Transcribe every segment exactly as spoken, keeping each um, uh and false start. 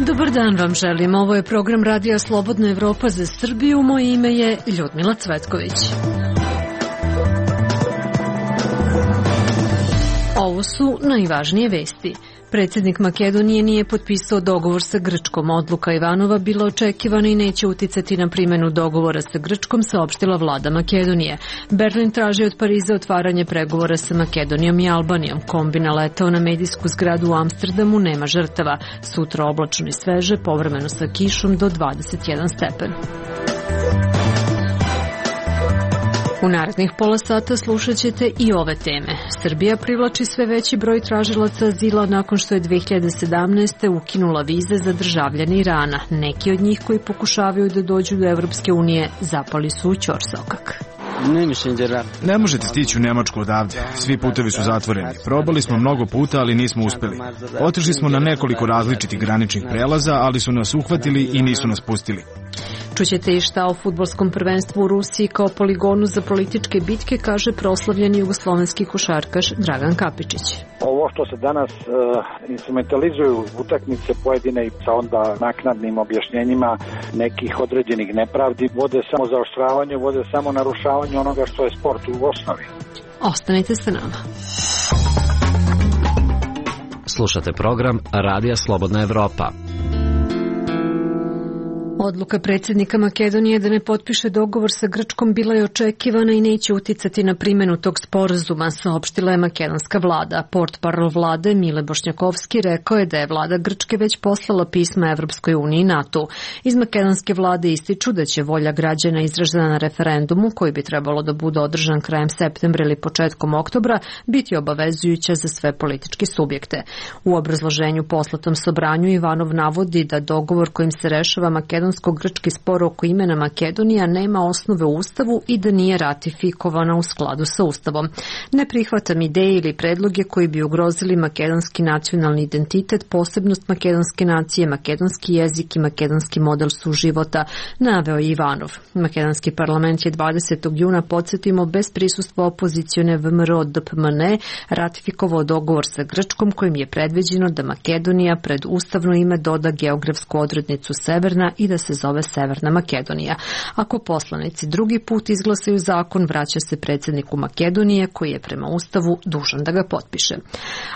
Dobar dan vam želim. Ovo je program Radija Slobodna Evropa za Srbiju. Moje ime je Ljudmila Cvetković. Ovo su najvažnije vesti. Predsjednik Makedonije nije potpisao dogovor sa Grčkom. Odluka Ivanova bila očekivana i neće uticati na primjenu dogovora sa Grčkom, saopštila vlada Makedonije. Berlin traži od Pariza otvaranje pregovora sa Makedonijom i Albanijom. Kombi naletao na medijsku zgradu u Amsterdamu, nema žrtava. Sutra oblačno i sveže, povremeno sa kišom do dvadeset jedan stepen. U narednih pola sata slušat ćete i ove teme. Srbija privlači sve veći broj tražilaca azila nakon što je dve hiljade sedamnaeste. ukinula vize za državljane Irana. Neki od njih koji pokušavaju da dođu do Evropske unije zapali su u ćorsokak. Ne možete stići u Nemačku odavde. Svi putevi su zatvoreni. Probali smo mnogo puta, ali nismo uspeli. Otišli smo na nekoliko različitih graničnih prelaza, ali su nas uhvatili i nisu nas pustili. Čućete i šta o fudbalskom prvenstvu u Rusiji kao poligonu za političke bitke, kaže proslavljeni jugoslovenski košarkaš Dragan Kapičić. Ovo što se danas uh, instrumentalizuju utakmice pojedine i sa onda naknadnim objašnjenjima nekih određenih nepravdi vode samo zaoštravanje, vode samo narušavanje onoga što je sport u osnovi. Ostanite sa nama. Slušate program Radija Slobodna Evropa. Odluka predsjednika Makedonije da ne potpiše dogovor sa Grčkom bila je očekivana i neće uticati na primjenu tog sporazuma, saopštila je makedonska vlada. Portparol vlade Mile Bošnjakovski rekao je da je vlada Grčke već poslala pisma Evropskoj uniji i NATO. Iz makedonske vlade ističu da će volja građana izražena na referendumu, koji bi trebalo da bude održan krajem septembra ili početkom oktobra, biti obavezujuća za sve političke subjekte. U obrazloženju poslatom Sobranju Ivanov navodi da dogovor kojim se rešava makedonska grčki spor oko imena Makedonija nema osnove u Ustavu i da nije ratifikovana u skladu sa Ustavom. Ne prihvatam ideje ili predloge koji bi ugrozili makedonski nacionalni identitet, posebnost makedonske nacije, makedonski jezik i makedonski model suživota, naveo je Ivanov. Makedonski parlament je dvadesetog juna, podsjetimo, bez prisustva opozicione V M R O D P M N ratifikovao dogovor sa Grčkom kojim je predviđeno da Makedonija pred ustavno ime doda geografsku odrednicu Severna i da se zove Severna Makedonija. Ako poslanici drugi put izglasaju zakon, vraća se predsjedniku Makedonije koji je prema Ustavu dužan da ga potpiše.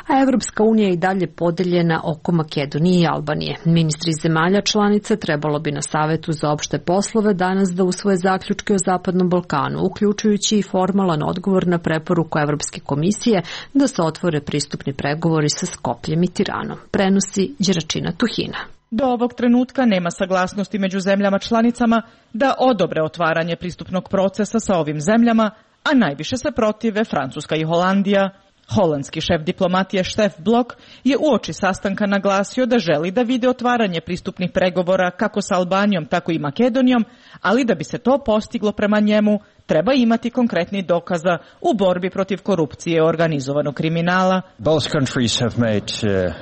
A Evropska unija je i dalje podeljena oko Makedonije i Albanije. Ministri zemalja članica trebalo bi na Savetu za opšte poslove danas da usvoje zaključke o Zapadnom Balkanu, uključujući i formalan odgovor na preporuku Evropske komisije da se otvore pristupni pregovori sa Skopljem i Tiranom. Prenosi Đeračina Tuhina. Do ovog trenutka nema saglasnosti među zemljama članicama da odobre otvaranje pristupnog procesa sa ovim zemljama, a najviše se protive Francuska i Holandija. Holandski šef diplomatije Stef Blok je uoči sastanka naglasio da želi da vide otvaranje pristupnih pregovora kako sa Albanijom, tako i Makedonijom, ali da bi se to postiglo prema njemu, treba imati konkretni dokaza u borbi protiv korupcije i organizovanog kriminala. Both countries have made uh...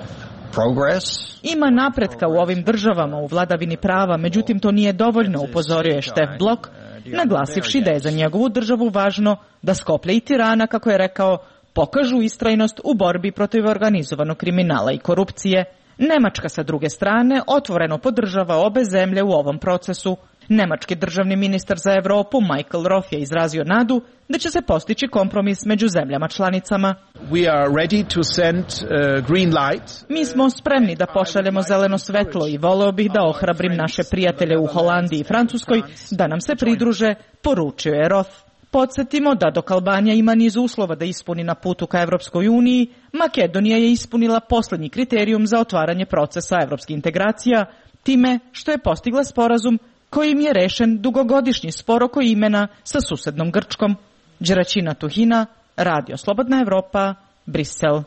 Progress. Ima napretka u ovim državama u vladavini prava, međutim to nije dovoljno, upozorio je Stef Blok, naglasivši da je za njegovu državu važno da Skoplje i Tirana, kako je rekao, pokažu istrajnost u borbi protiv organizovanog kriminala i korupcije. Nemačka sa druge strane otvoreno podržava obe zemlje u ovom procesu. Nemački državni ministar za Evropu Michael Roth je izrazio nadu da će se postići kompromis među zemljama članicama. We are ready to send uh, green light. Mi smo spremni da pošaljemo zeleno svetlo i voleo bih da ohrabrim naše prijatelje u Holandiji i Francuskoj da nam se pridruže, poručio je Roth. Podsjetimo da dok Albanija ima niz uslova da ispuni na putu ka Evropskoj uniji, Makedonija je ispunila posljednji kriterijum za otvaranje procesa evropskih integracija, time što je postigla sporazum kojim je rešen dugogodišnji spor oko imena sa susednom Grčkom. Đeračina Tuhina, Radio Slobodna Evropa, Brisel.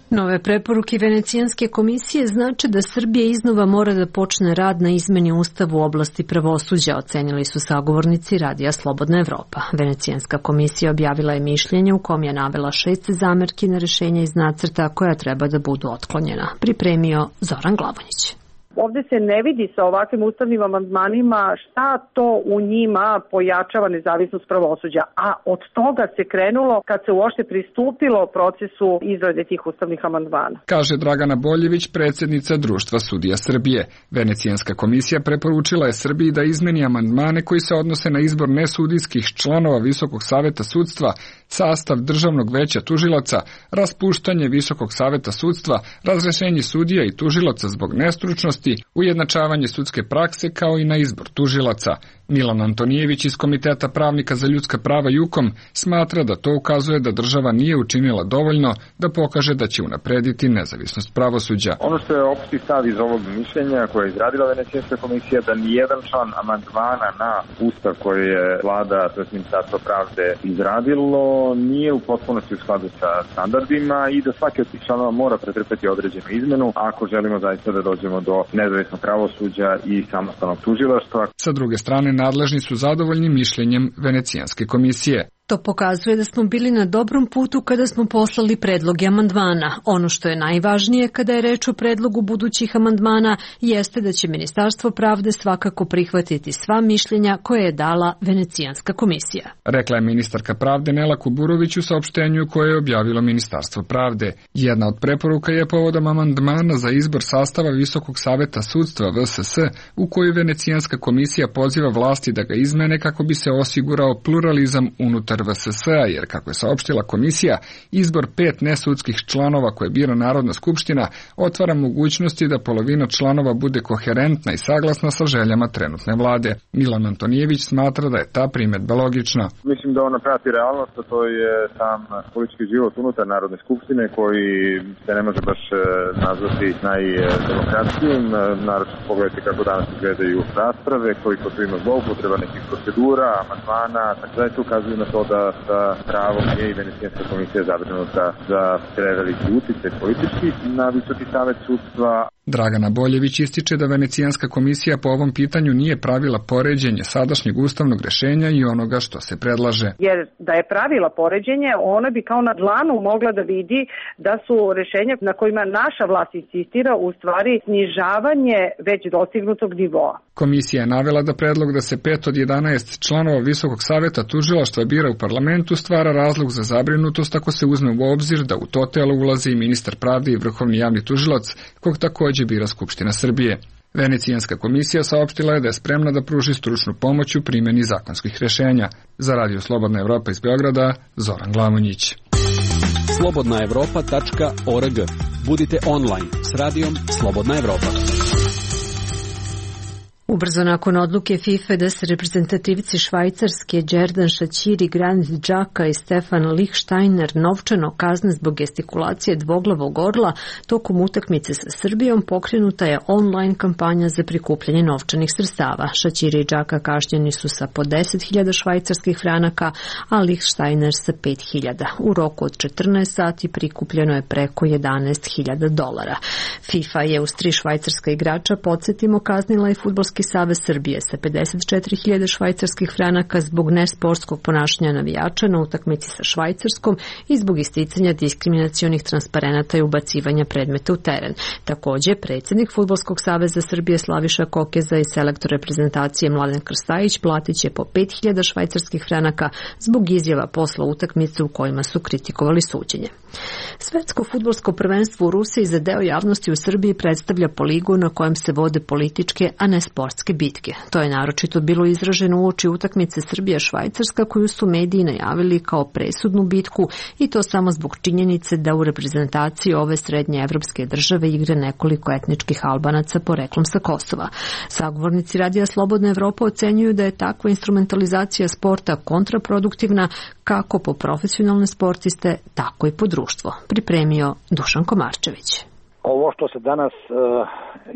Nove preporuke Venecijanske komisije znače da Srbija iznova mora da počne rad na izmeni Ustava u oblasti pravosuđa, ocenili su sagovornici Radija Slobodna Evropa. Venecijanska komisija objavila je mišljenje u kom je navela šest zamerki na rešenja iz nacrta koja treba da budu otklonjena. Pripremio Zoran Glavonjić. Ovde se ne vidi sa ovakvim ustavnim amandmanima šta to u njima pojačava nezavisnost pravosuđa, a od toga se krenulo kad se uopšte pristupilo procesu izrade tih ustavnih amandmana. Kaže Dragana Boljević, predsjednica Društva sudija Srbije. Venecijanska komisija preporučila je Srbiji da izmeni amandmane koji se odnose na izbor nesudijskih članova Visokog saveta sudstva, sastav Državnog veća tužilaca, raspuštanje Visokog saveta sudstva, razrešenje sudija i tužilaca zbog nestručnosti, ujednačavanje sudske prakse kao i na izbor tužilaca. Milan Antonijević iz Komiteta pravnika za ljudska prava Jukom smatra da to ukazuje da država nije učinila dovoljno da pokaže da će unaprediti nezavisnost pravosuđa. Ono što je opšti stav iz ovog mišljenja koje je izradila Venecijanska komisija da nijedan član amandmana na ustav koji je vlada, to je Ministarstvo pravde, izradilo nije u potpunosti u skladu sa standardima i da svaki od tih članova mora pretrpeti određenu izmenu ako želimo zaista da dođemo do nezavisnog pravosuđa i samostalnog tužilaštva. Sa druge strane, nadležni su zadovoljni mišljenjem Venecijanske komisije. To pokazuje da smo bili na dobrom putu kada smo poslali predloge amandmana. Ono što je najvažnije kada je reč o predlogu budućih amandmana jeste da će Ministarstvo pravde svakako prihvatiti sva mišljenja koje je dala Venecijanska komisija. Rekla je ministarka pravde Nela Kuburović u saopštenju koje je objavilo Ministarstvo pravde. Jedna od preporuka je povodom amandmana za izbor sastava Visokog saveta sudstva V S S u koju Venecijanska komisija poziva vlasti da ga izmene kako bi se osigurao pluralizam unutar V S S-a, jer, kako je saopštila komisija, izbor pet nesudskih članova koje bira Narodna skupština otvara mogućnosti da polovina članova bude koherentna i saglasna sa željama trenutne vlade. Milan Antonijević smatra da je ta primedba logična. Mislim da ona prati realnost, a to je sam politički život unutar Narodne skupštine koji se ne može baš nazvati najdemokratskijim. Naravno, pogledajte kako danas izgledaju rasprave, koliko tu ima zloupotreba nekih procedura, amandmana, tako da je to ukazuje na to da sa pravom je i Venecijanska komisija zabrinuta za preveliki uticaj politički na Visoki savet sudstva. Dragana Boljević ističe da Venecijanska komisija po ovom pitanju nije pravila poređenje sadašnjeg ustavnog rešenja i onoga što se predlaže. Jer da je pravila poređenje, ona bi kao na dlanu mogla da vidi da su rešenja na kojima naša vlast insistira u stvari snižavanje već dostignutog nivoa. Komisija je navela da predlog da se pet od jedanaest članova Visokog saveta tužilaštva bira u parlamentu stvara razlog za zabrinutost ako se uzme u obzir da u to telo ulazi i ministar pravde i vrhovni javni tužilac, kog takođe bira Skupština Srbije. Venecijanska komisija saopštila je da je spremna da pruži stručnu pomoć u primjeni zakonskih rešenja. Za Radio Slobodna Evropa iz Beograda, Zoran Glamonjić. slobodna evropa tačka org. Budite online s radijom Slobodna Evropa. Ubrzo nakon odluke FIFA da se reprezentativci Švajcarske Đerdan Šaćiri, Granit Xhaka i Stefan Lichtsteiner novčano kazne zbog gestikulacije dvoglavog orla, tokom utakmice sa Srbijom pokrenuta je online kampanja za prikupljanje novčanih sredstava. Šaćiri i Xhaka kažnjeni su sa po deset hiljada švajcarskih franaka, a Lichtsteiner sa pet hiljada. U roku od četrnaest sati prikupljeno je preko jedanaest hiljada dolara. FIFA je uz tri švajcarska igrača, podsjetimo, kaznila i Fudbalski savez Srbije sa pedeset četiri hiljade švajcarskih franaka zbog nesportskog ponašanja navijača na utakmici sa Švajcarskom i zbog isticanja diskriminacionih transparenata i ubacivanja predmeta u teren. Takođe, predsjednik Fudbalskog saveza Srbije Slaviša Kokeza i selektor reprezentacije Mladen Krstajić platit će po pet hiljada švajcarskih franaka zbog izjava posle utakmice u kojima su kritikovali suđenje. Svetsko fudbalsko prvenstvo u Rusiji za deo javnosti u Srbiji predstavlja poligon na kojem se vode političke, a ne sportske bitke. To je naročito bilo izraženo uoči utakmice Srbija-Švajcarska koju su mediji najavili kao presudnu bitku i to samo zbog činjenice da u reprezentaciji ove srednje evropske države igra nekoliko etničkih Albanaca poreklom sa Kosova. Sagovornici Radija Slobodna Evropa ocenjuju da je takva instrumentalizacija sporta kontraproduktivna kako po profesionalne sportiste, tako i po društvo. Pripremio Dušan Komarčević. Ovo što se danas uh,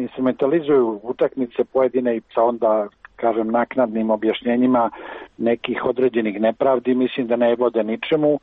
instrumentalizuju utakmice pojedine i sa onda, kažem, naknadnim objašnjenjima nekih određenih nepravdi, mislim da ne vode ničemu,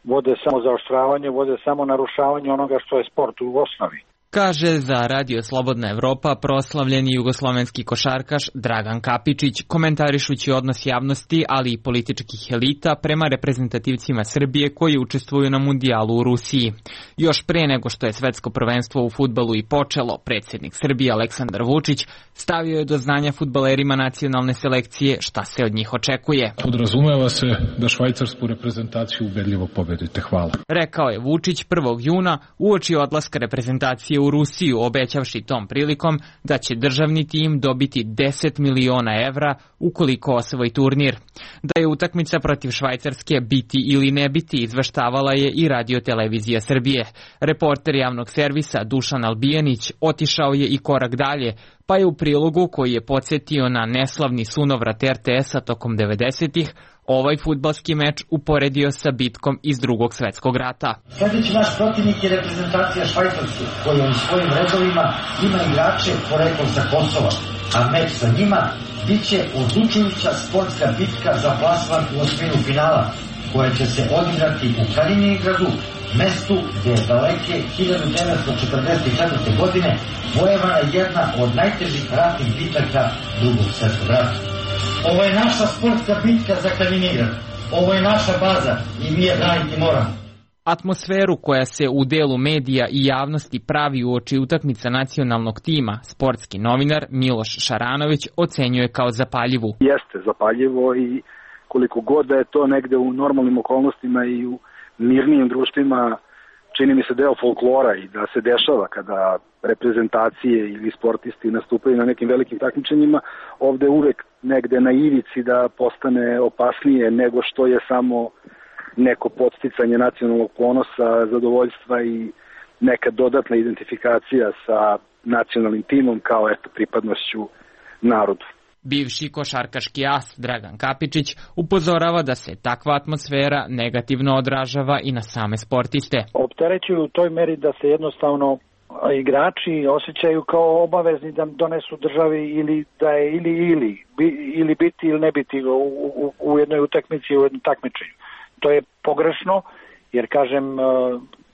vode samo zaoštravanje, vode samo narušavanje onoga što je sport u osnovi. kaže za Radio Slobodna Evropa proslavljeni jugoslovenski košarkaš Dragan Kapičić, komentarišući odnos javnosti, ali i političkih elita prema reprezentativcima Srbije koji učestvuju na mundijalu u Rusiji. Još pre nego što je svetsko prvenstvo u fudbalu i počelo, predsjednik Srbije Aleksandar Vučić stavio je do znanja fudbalerima nacionalne selekcije šta se od njih očekuje. Podrazumeva se da švajcarsku reprezentaciju ubedljivo pobedite. Hvala. Rekao je Vučić prvog juna uoči odlaska reprezentacije u Rusiju, obećavši tom prilikom da će državni tim dobiti deset miliona evra ukoliko osvoji turnir. Da je utakmica protiv Švajcarske biti ili ne biti izveštavala je i Radio Televizija Srbije. Reporter javnog servisa Dušan Albijanić otišao je i korak dalje, pa je u prilogu koji je podsjetio na neslavni sunovrat er te esa tokom devedesetih ovaj fudbalski meč uporedio sa bitkom iz Drugog svetskog rata. Sljedeći naš protivnik je reprezentacija Švajcarske, koja u svojim redovima ima igrače poreklom sa Kosova, a meč sa njima biće odlučujuća sportska bitka za plasman u osminu finala, koja će se odigrati u Kaliningradu, mestu gdje je daleke hiljadu devetsto četrdeset četvrte. godine vojevana jedna od najtežih ratnih bitaka Drugog svjetskog rata. Ovo je naša sportska bitka za Kaliningrad. Ovo je naša baza i mi je braniti moramo. Atmosferu koja se u delu medija i javnosti pravi uoči utakmica nacionalnog tima, sportski novinar Miloš Šaranović ocenjuje kao zapaljivu. Jeste zapaljivo i koliko god da je to negde u normalnim okolnostima i u mirnijim društvima, čini mi se deo folklora i da se dešava kada reprezentacije ili sportisti nastupaju na nekim velikim takmičenjima, ovde uvek negde na ivici da postane opasnije nego što je samo neko podsticanje nacionalnog ponosa, zadovoljstva i neka dodatna identifikacija sa nacionalnim timom kao eto pripadnošću narodu. Bivši košarkaški as Dragan Kapičić upozorava da se takva atmosfera negativno odražava i na same sportiste. Opterećuju u toj meri da se jednostavno igrači osjećaju kao obavezni da donesu državi ili da je ili ili ili biti ili ne biti u, u, u jednoj utakmici, u jednom takmičenju. To je pogrešno jer kažem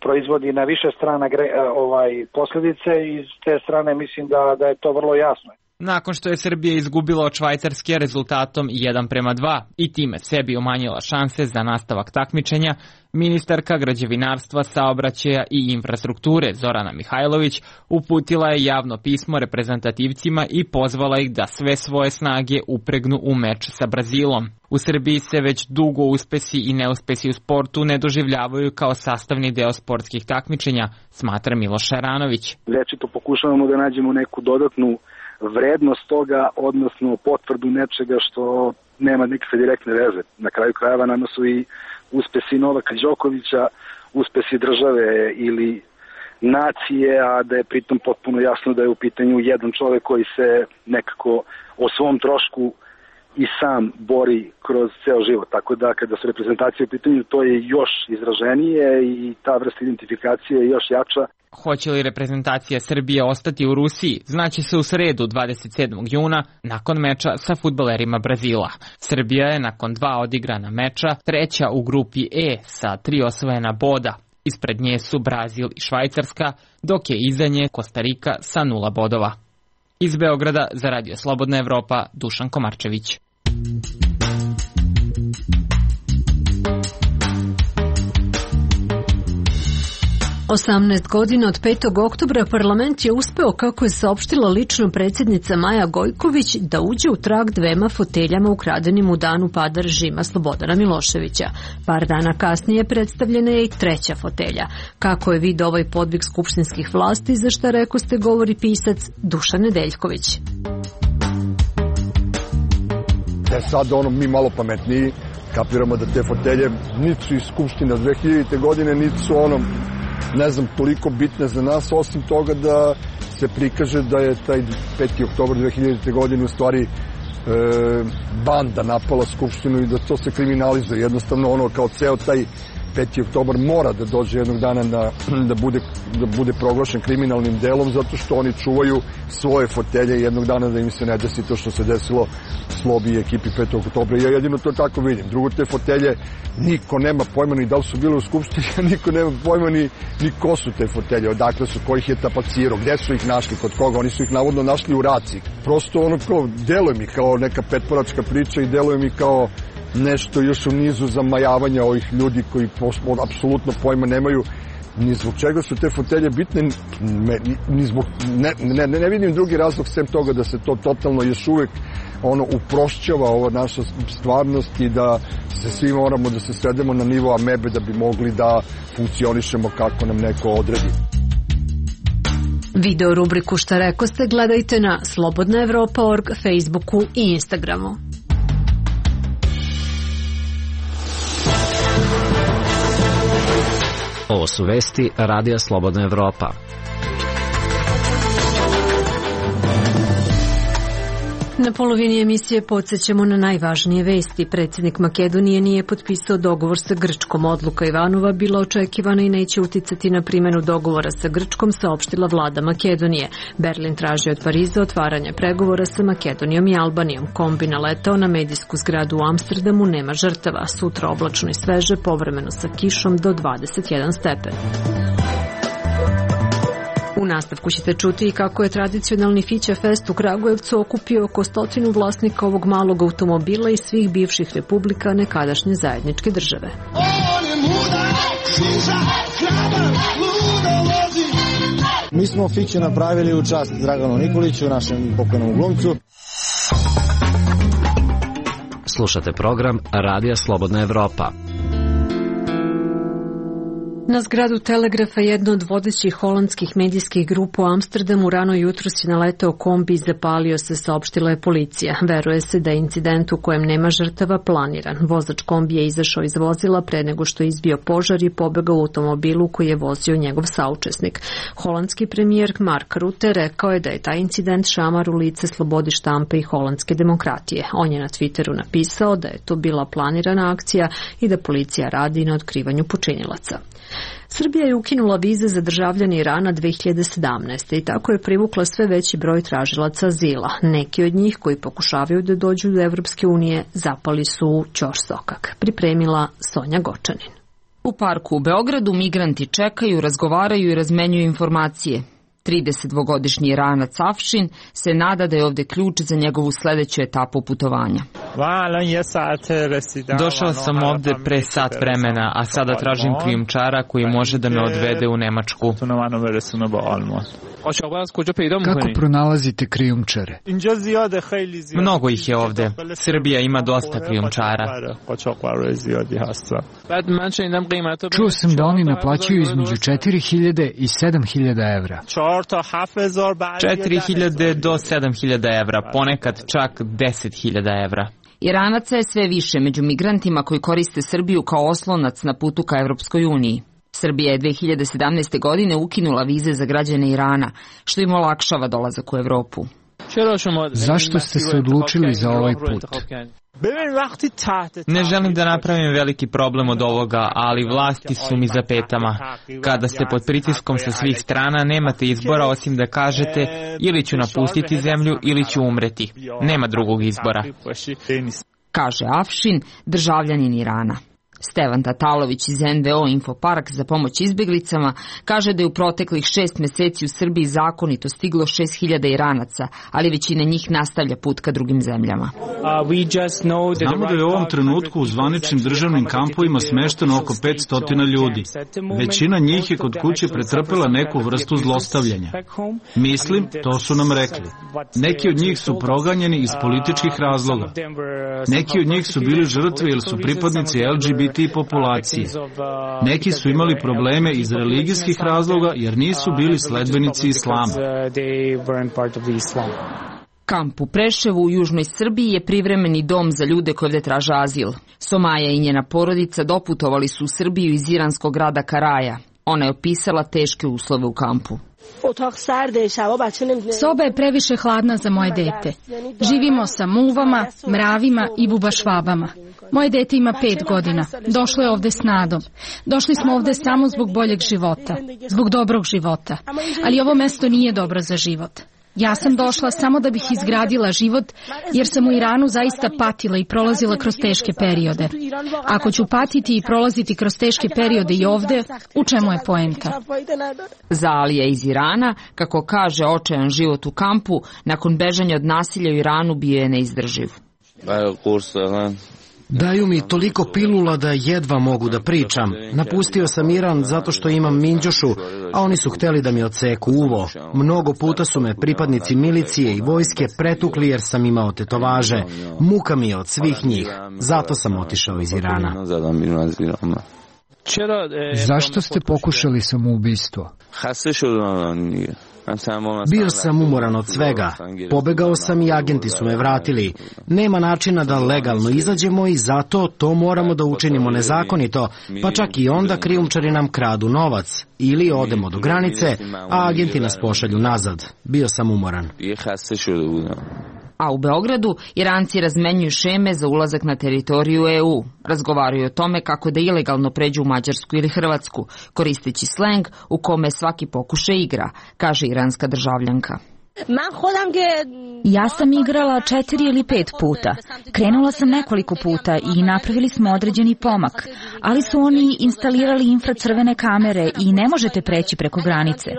proizvodi na više strana ovaj posljedice i s te strane mislim da da je to vrlo jasno. Nakon što je Srbija izgubila od Švajcarske rezultatom jedan prema dva i time sebi umanjila šanse za nastavak takmičenja, ministarka građevinarstva, saobraćaja i infrastrukture Zorana Mihajlović uputila je javno pismo reprezentativcima i pozvala ih da sve svoje snage upregnu u meč sa Brazilom. U Srbiji se već dugo uspesi i neuspesi u sportu ne doživljavaju kao sastavni deo sportskih takmičenja, smatra Miloš Šaranović. Večito pokušavamo da nađemo neku dodatnu vrednost toga, odnosno potvrdu nečega što nema nikakve direktne veze. Na kraju krajeva nama su i uspesi Novaka Đokovića, uspesi države ili nacije, a da je pritom potpuno jasno da je u pitanju jedan čovjek koji se nekako o svom trošku i sam bori kroz ceo život. Tako da kada su reprezentacije u pitanju, to je još izraženije i ta vrsta identifikacije je još jača. Hoće li reprezentacija Srbije ostati u Rusiji, znaće se u sredu dvadeset sedmog juna nakon meča sa fudbalerima Brazila. Srbija je nakon dva odigrana meča treća u grupi E sa tri osvojena boda. Ispred nje su Brazil i Švajcarska, dok je iza nje Kostarika sa nula bodova. Iz Beograda za Radio Slobodna Evropa, Dušan Komarčević. osamnaest godina od petog oktobra parlament je uspeo, kako je saopštila lično predsjednica Maja Gojković, da uđe u trag dvema foteljama ukradenim u danu pada režima Slobodana Miloševića. Par dana kasnije predstavljena je i treća fotelja. Kako je vidio ovaj podvig skupštinskih vlasti, za šta rekoste govori pisac Dušan Nedeljković. E sad ono mi malo pametniji kapiramo da te fotelje niti su iz Skupština dve hiljadite. godine, niti su onom ne znam, toliko bitne za nas, osim toga da se prikaže da je taj peti oktobar dve hiljadite. godine u stvari e, banda napala Skupštinu i da to se kriminalizuje. Jednostavno ono kao ceo taj peti oktobar mora da dođe jednog dana na, da, bude, da bude proglašen kriminalnim delom zato što oni čuvaju svoje fotelje i jednog dana da im se ne desi to što se desilo Slobi i ekipi petog oktobra. Ja jedino to tako vidim. Drugo, te fotelje niko nema pojma ni da li su bile u skupštini, a niko nema pojma ni, ni ko su te fotelje, odakle su, ko ih je tapacirao, gde su ih našli, kod koga. Oni su ih navodno našli u Raci. Prosto ono kao, deluje mi kao neka petporačka priča i deluje mi kao nešto još u nizu zamajavanja ovih ljudi koji apsolutno pojma nemaju ni zbog čega su te fotelje bitne, ni zbog, ne, ne, ne vidim drugi razlog sem toga da se to totalno još uvek ono uprošćava ova naša stvarnost i da se svi moramo da se svedemo na nivo amebe da bi mogli da funkcionišemo kako nam neko odredi. Video rubriku Šta rekoste gledajte na slobodna evropa tačka org, Facebooku i Instagramu. Ovo su vesti Radija Slobodna Evropa. Na polovini emisije podsjećamo na najvažnije vesti. Predsjednik Makedonije nije potpisao dogovor sa Grčkom. Odluka Ivanova bila očekivana i neće uticati na primjenu dogovora sa Grčkom, saopštila vlada Makedonije. Berlin traži od Pariza otvaranje pregovora sa Makedonijom i Albanijom. Kombi naletao na medijsku zgradu u Amsterdamu, nema žrtava. Sutra oblačno i sveže, povremeno sa kišom do dvadeset jedan stepen. U nastavku ćete čuti i kako je tradicionalni Fića Fest u Kragujevcu okupio oko stotinu vlasnika ovog malog automobila iz svih bivših republika nekadašnje zajedničke države. Mi smo Fiće napravili u čast Draganu Nikoliću, našem pokojnom glumcu. Slušate program Radija Slobodna Evropa. Na zgradu Telegrafa, jedno od vodećih holandskih medijskih grupa u Amsterdamu, rano jutros je naletao kombi i zapalio se, saopštila je policija. Veruje se da je incident u kojem nema žrtava planiran. Vozač kombi je izašao iz vozila pre nego što je izbio požar i pobegao u automobilu koji je vozio njegov saučesnik. Holandski premijer Mark Rutte rekao je da je taj incident šamar u lice slobodi štampe i holandske demokratije. On je na Twitteru napisao da je to bila planirana akcija i da policija radi na otkrivanju počinilaca. Srbija je ukinula vize za državljane Irana dve hiljade sedamnaeste. i tako je privukla sve veći broj tražilaca azila. Neki od njih koji pokušavaju da dođu do Evropske unije zapali su u ćorsokak. Pripremila Sonja Gočanin. U parku u Beogradu migranti čekaju, razgovaraju i razmenjuju informacije. tridesetdvogodišnji Iranac Afšin se nada da je ovde ključ za njegovu sledeću etapu putovanja. Došao sam ovde pre sat vremena, a sada tražim krijumčara koji može da me odvede u Nemačku. Kako pronalazite krijumčare? Mnogo ih je ovde. Srbija ima dosta krijumčara. Čuo sam da oni naplaćuju između četiri hiljade i sedam hiljada evra. četiri hiljade do sedam hiljada evra, ponekad čak deset hiljada evra. Iranaca je sve više među migrantima koji koriste Srbiju kao oslonac na putu ka Evropskoj uniji. Srbija je dve hiljade sedamnaeste. godine ukinula vize za građane Irana, što im olakšava dolazak u Evropu. Zašto ste se odlučili za ovaj put? Ne želim da napravim veliki problem od ovoga, ali vlasti su mi za petama. Kada ste pod pritiskom sa svih strana, nemate izbora osim da kažete ili ću napustiti zemlju ili ću umreti. Nema drugog izbora. Kaže Afšin, državljanin Irana. Stevan Tatalović iz en ve o Infopark za pomoć izbjeglicama kaže da je u proteklih šest meseci u Srbiji zakonito stiglo šest hiljada Iranaca, ali većina njih nastavlja put ka drugim zemljama. Znamo da je u ovom trenutku u zvaničnim državnim kampovima smešteno oko petsto ljudi. Većina njih je kod kuće pretrpela neku vrstu zlostavljanja. Mislim, to su nam rekli. Neki od njih su proganjeni iz političkih razloga. Neki od njih su bili žrtve ili su pripadnici el dži bi ti populacije. Neki su imali probleme iz religijskih razloga jer nisu bili sledbenici islama. Kamp u Preševu u južnoj Srbiji je privremeni dom za ljude koji ovde traže azil. Somaja i njena porodica doputovali su u Srbiju iz iranskog grada Karaja. Ona je opisala teške uslove u kampu. Soba je previše hladna za moje dete. Živimo sa muvama, mravima i bubašvabama. Moje dete ima pet godina. Došlo je ovde s nadom. Došli smo ovde samo zbog boljeg života, zbog dobrog života. Ali ovo mesto nije dobro za život. Ja sam došla samo da bih izgradila život, jer sam u Iranu zaista patila i prolazila kroz teške periode. Ako ću patiti i prolaziti kroz teške periode i ovde, u čemu je poenta? Za Alija iz Irana, kako kaže, očajan život u kampu, nakon bežanja od nasilja u Iranu bio je neizdrživ. Daju mi toliko pilula da jedva mogu da pričam. Napustio sam Iran zato što imam minđušu, a oni su hteli da mi odseku uvo. Mnogo puta su me pripadnici milicije i vojske pretukli jer sam imao tetovaže. Muka mi je od svih njih. Zato sam otišao iz Irana. Zašto ste pokušali samoubistvo? Bio sam umoran od svega. Pobegao sam i agenti su me vratili. Nema načina da legalno izađemo i zato to moramo da učinimo nezakonito, pa čak i onda krijumčari nam kradu novac. Ili odemo do granice, a agenti nas pošalju nazad. Bio sam umoran. A u Beogradu Iranci razmenjuju šeme za ulazak na teritoriju E U. Razgovaraju o tome kako da ilegalno pređu u Mađarsku ili Hrvatsku, koristeći sleng u kome svaki pokušaj igra, kaže iranska državljanka. Ja sam igrala četiri ili pet puta. Krenula sam nekoliko puta i napravili smo određeni pomak, ali su oni instalirali infracrvene kamere i ne možete preći preko granice.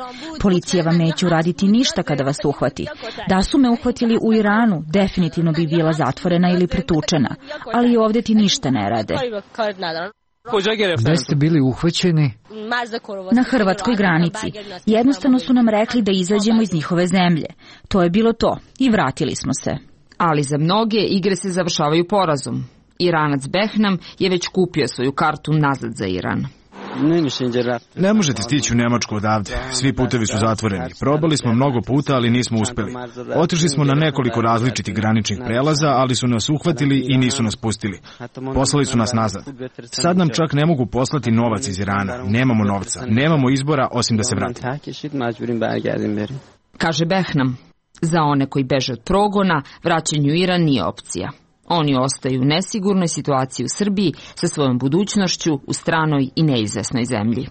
Policija vam neće uraditi ništa kada vas uhvati. Da su me uhvatili u Iranu, definitivno bi bila zatvorena ili pretučena, ali ovdje ti ništa ne rade. Gde ste bili uhvaćeni? Na hrvatskoj granici. Jednostavno su nam rekli da izađemo iz njihove zemlje. To je bilo to i vratili smo se. Ali za mnoge igre se završavaju porazom. Iranac Behnam je već kupio svoju kartu nazad za Iran. Ne možete stići u Nemačku odavde. Svi putevi su zatvoreni. Probali smo mnogo puta, ali nismo uspeli. Otišli smo na nekoliko različitih graničnih prelaza, ali su nas uhvatili i nisu nas pustili. Poslali su nas nazad. Sad nam čak ne mogu poslati novac iz Irana. Nemamo novca. Nemamo izbora osim da se vratimo. Kaže Behnam. Za one koji beže od progona, vraćanju u Iran nije opcija. Oni ostaju u nesigurnoj situaciji u Srbiji sa svojom budućnošću u stranoj i neizvesnoj zemlji.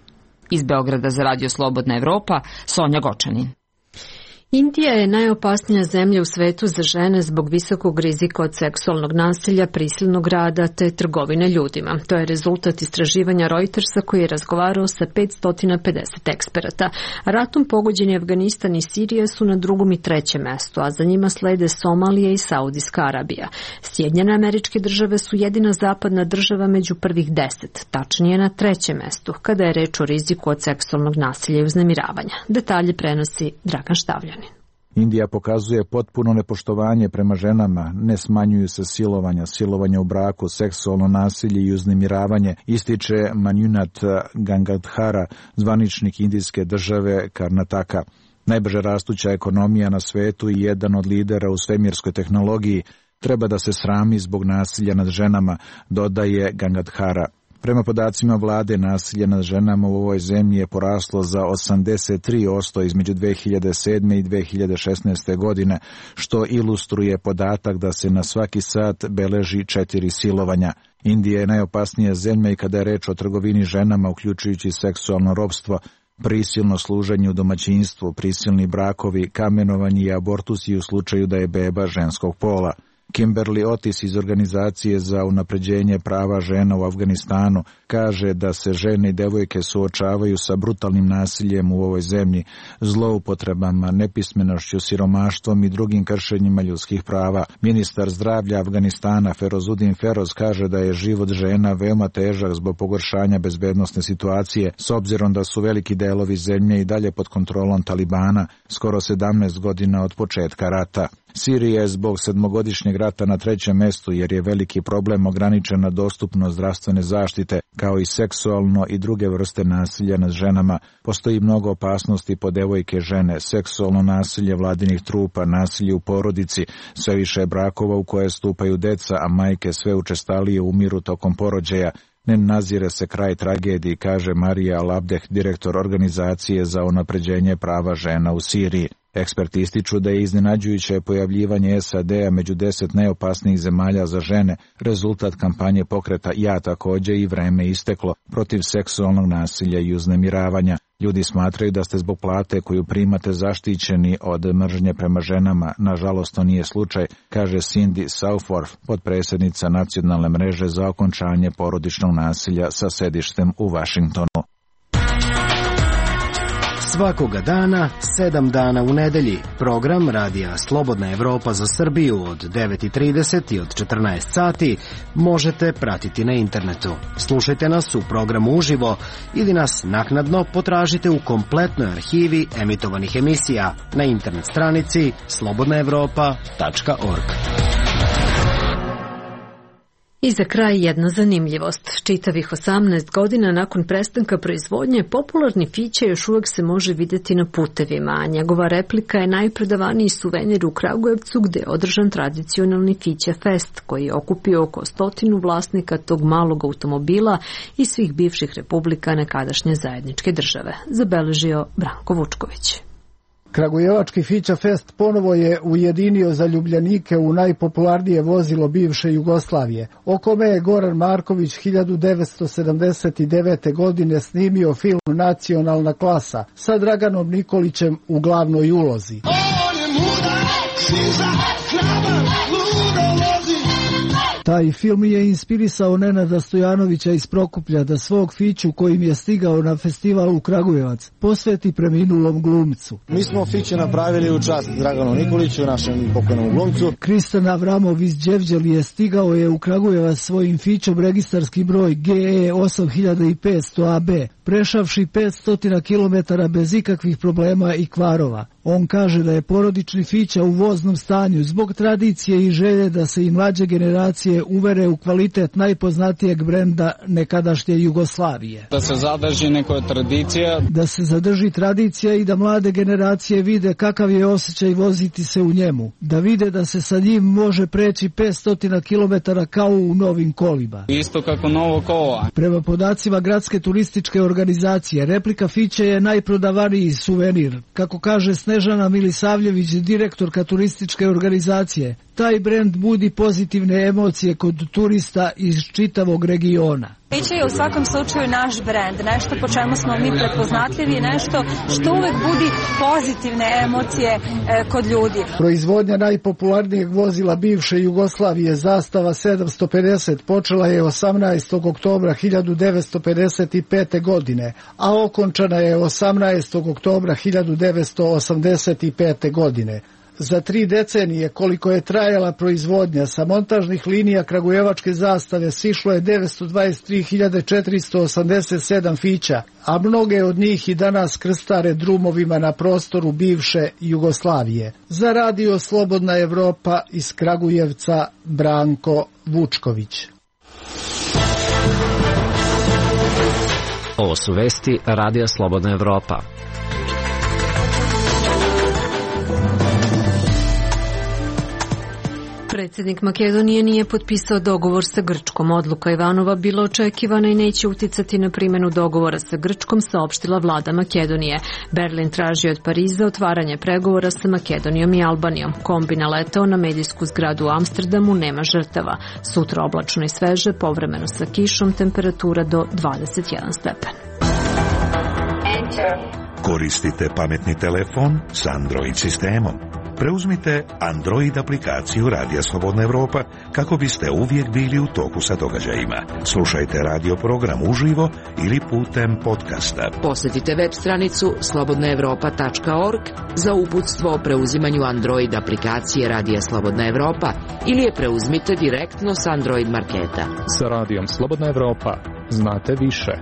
Iz Beograda za Radio Slobodna Evropa, Sonja Gočanin. Indija je najopasnija zemlja u svetu za žene zbog visokog rizika od seksualnog nasilja, prisilnog rada te trgovine ljudima. To je rezultat istraživanja Reutersa koji je razgovarao sa petsto pedeset eksperata. Ratom pogođeni Afganistan i Sirija su na drugom i trećem mestu, a za njima slede Somalija i Saudijska Arabija. Sjedinjene Američke Države su jedina zapadna država među prvih deset, tačnije na trećem mestu, kada je reč o riziku od seksualnog nasilja i uznemiravanja. Detalje prenosi Dragan Štavljan. Indija pokazuje potpuno nepoštovanje prema ženama, ne smanjuju se silovanja, silovanja u braku, seksualno nasilje i uznemiravanje, ističe Manjunat Gangadhara, zvaničnik indijske države Karnataka. Najbrže rastuća ekonomija na svetu i jedan od lidera u svemirskoj tehnologiji treba da se srami zbog nasilja nad ženama, dodaje Gangadhara. Prema podacima vlade, nasilje nad ženama u ovoj zemlji je poraslo za osamdeset tri posto između dve hiljade sedme i dve hiljade šesnaeste. godine, što ilustruje podatak da se na svaki sat beleži četiri silovanja. Indija je najopasnija zemlja i kada je reč o trgovini ženama, uključujući seksualno ropstvo, prisilno služenje u domaćinstvu, prisilni brakovi, kamenovanje i abortusi u slučaju da je beba ženskog pola. Kimberly Otis iz Organizacije za unapređenje prava žena u Afganistanu kaže da se žene i devojke suočavaju sa brutalnim nasiljem u ovoj zemlji, zloupotrebama, nepismenošću, siromaštvom i drugim kršenjima ljudskih prava. Ministar zdravlja Afganistana Ferozudin Feroz kaže da je život žena veoma težak zbog pogoršanja bezbednosne situacije, s obzirom da su veliki delovi zemlje i dalje pod kontrolom Talibana, skoro sedamnaest godina od početka rata. Sirija je zbog sedmogodišnjeg rata na trećem mestu jer je veliki problem ograničena dostupnost zdravstvene zaštite, kao i seksualno i druge vrste nasilja nad ženama. Postoji mnogo opasnosti po devojke žene, seksualno nasilje vladinih trupa, nasilje u porodici, sve više brakova u koje stupaju deca, a majke sve učestalije umiru tokom porođaja. Ne nazire se kraj tragediji, kaže Marija Al-Abdeh, direktor Organizacije za unapređenje prava žena u Siriji. Eksperti ističu da je iznenađujuće pojavljivanje S A D-a među deset najopasnijih zemalja za žene rezultat kampanje pokreta Ja takođe i Vreme isteklo protiv seksualnog nasilja i uznemiravanja. Ljudi smatraju da ste zbog plate koju primate zaštićeni od mržnje prema ženama. Nažalost, to nije slučaj, kaže Cindy Southworth, potpredsjednica Nacionalne mreže za okončanje porodičnog nasilja sa sedištem u Vašingtonu. Svakoga dana, sedam dana u nedelji. Program Radija Slobodna Evropa za Srbiju od devet i trideset i od četrnaest sati možete pratiti na internetu. Slušajte nas u programu uživo ili nas naknadno potražite u kompletnoj arhivi emitovanih emisija na internet stranici slobodna evropa tačka org. I za kraj jedna zanimljivost. Čitavih osamnaest godina nakon prestanka proizvodnje, popularni Fića još uvek se može videti na putevima, a njegova replika je najprodavaniji suvenir u Kragujevcu, gde je održan tradicionalni Fića Fest, koji je okupio oko stotinu vlasnika tog malog automobila i svih bivših republika nekadašnje zajedničke države, zabeležio Branko Vučković. Kragujevački Fića Fest ponovo je ujedinio zaljubljenike u najpopularnije vozilo bivše Jugoslavije, o kome je Goran Marković hiljadu devetsto sedamdeset devete. godine snimio film Nacionalna klasa sa Draganom Nikolićem u glavnoj ulozi. Taj film je inspirisao Nenada Stojanovića iz Prokuplja da svog Fiću, kojim je stigao na festival u Kragujevac, posveti preminulom glumcu. Mi smo Fiće napravili u čast Draganu Nikoliću, našem pokojnom glumcu. Kristan Avramov iz Đevđeli je stigao je u Kragujevac svojim Fićom registarski broj G E osam hiljada petsto A B, prešavši petsto kilometara bez ikakvih problema i kvarova. On kaže da je porodični Fića u voznom stanju zbog tradicije i želje da se i mlađe generacije uvere u kvalitet najpoznatijeg brenda nekadašnje Jugoslavije. Da se zadrži neka tradicija. Da se zadrži tradicija i da mlade generacije vide kakav je osjećaj voziti se u njemu. Da vide da se sa njim može preći petsto kilometara kao u novim kolima. Isto kako novo kola. Prema podacima gradske turističke organizacije, replika Fića je najprodavaniji suvenir. Kako kaže Snežana Milisavljević, direktorka turističke organizacije, taj brend budi pozitivne emocije kod turista iz čitavog regiona. Fića je u svakom slučaju naš brend, nešto po čemu smo mi prepoznatljivi, nešto što uvek budi pozitivne emocije e, kod ljudi. Proizvodnja najpopularnijeg vozila bivše Jugoslavije, Zastava sedamsto pedeset, počela je osamnaestog oktobra hiljadu devetsto pedeset pete. godine, a okončana je osamnaestog oktobra hiljadu devetsto osamdeset pete. godine. Za tri decenije koliko je trajala proizvodnja, sa montažnih linija kragujevačke Zastave sišlo je devetsto dvadeset tri hiljade četiristo osamdeset sedam Fića, a mnoge od njih i danas krstare drumovima na prostoru bivše Jugoslavije. Za Radio Slobodna Evropa iz Kragujevca, Branko Vučković. Ovo su vesti Radija Slobodna Evropa. Predsjednik Makedonije nije potpisao dogovor sa Grčkom. Odluka Ivanova bila očekivana i neće uticati na primjenu dogovora sa Grčkom, saopštila vlada Makedonije. Berlin traži od Pariza otvaranje pregovora sa Makedonijom i Albanijom. Kombi naletao na medijsku zgradu u Amsterdamu, nema žrtava. Sutra oblačno i sveže, povremeno sa kišom, temperatura do dvadeset jedan stepen. Koristite pametni telefon s Android sistemom. Preuzmite Android aplikaciju Radija Slobodna Evropa kako biste uvijek bili u toku sa događajima. Slušajte radio program uživo ili putem podcasta. Posjetite web stranicu slobodna evropa tačka org za uputstvo o preuzimanju Android aplikacije Radija Slobodna Evropa ili je preuzmite direktno s Android marketa. Sa Radijom Slobodna Evropa znate više.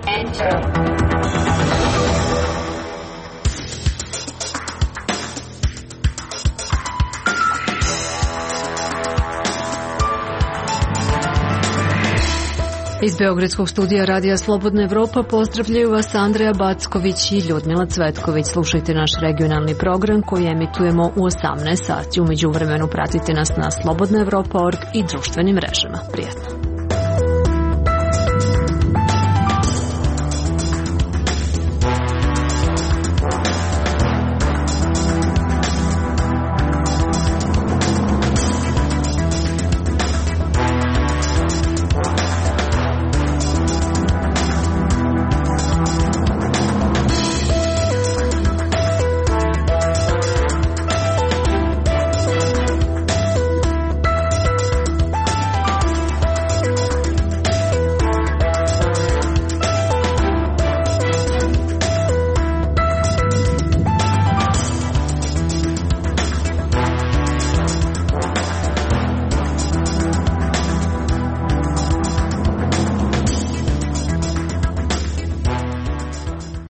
Iz Beogradskog studija Radija Slobodna Evropa pozdravljaju vas Andreja Backović i Ljudmila Cvetković. Slušajte naš regionalni program koji emitujemo u osamnaest sati. U međuvremenu pratite nas na slobodna evropa tačka org i društvenim mrežama. Prijetno.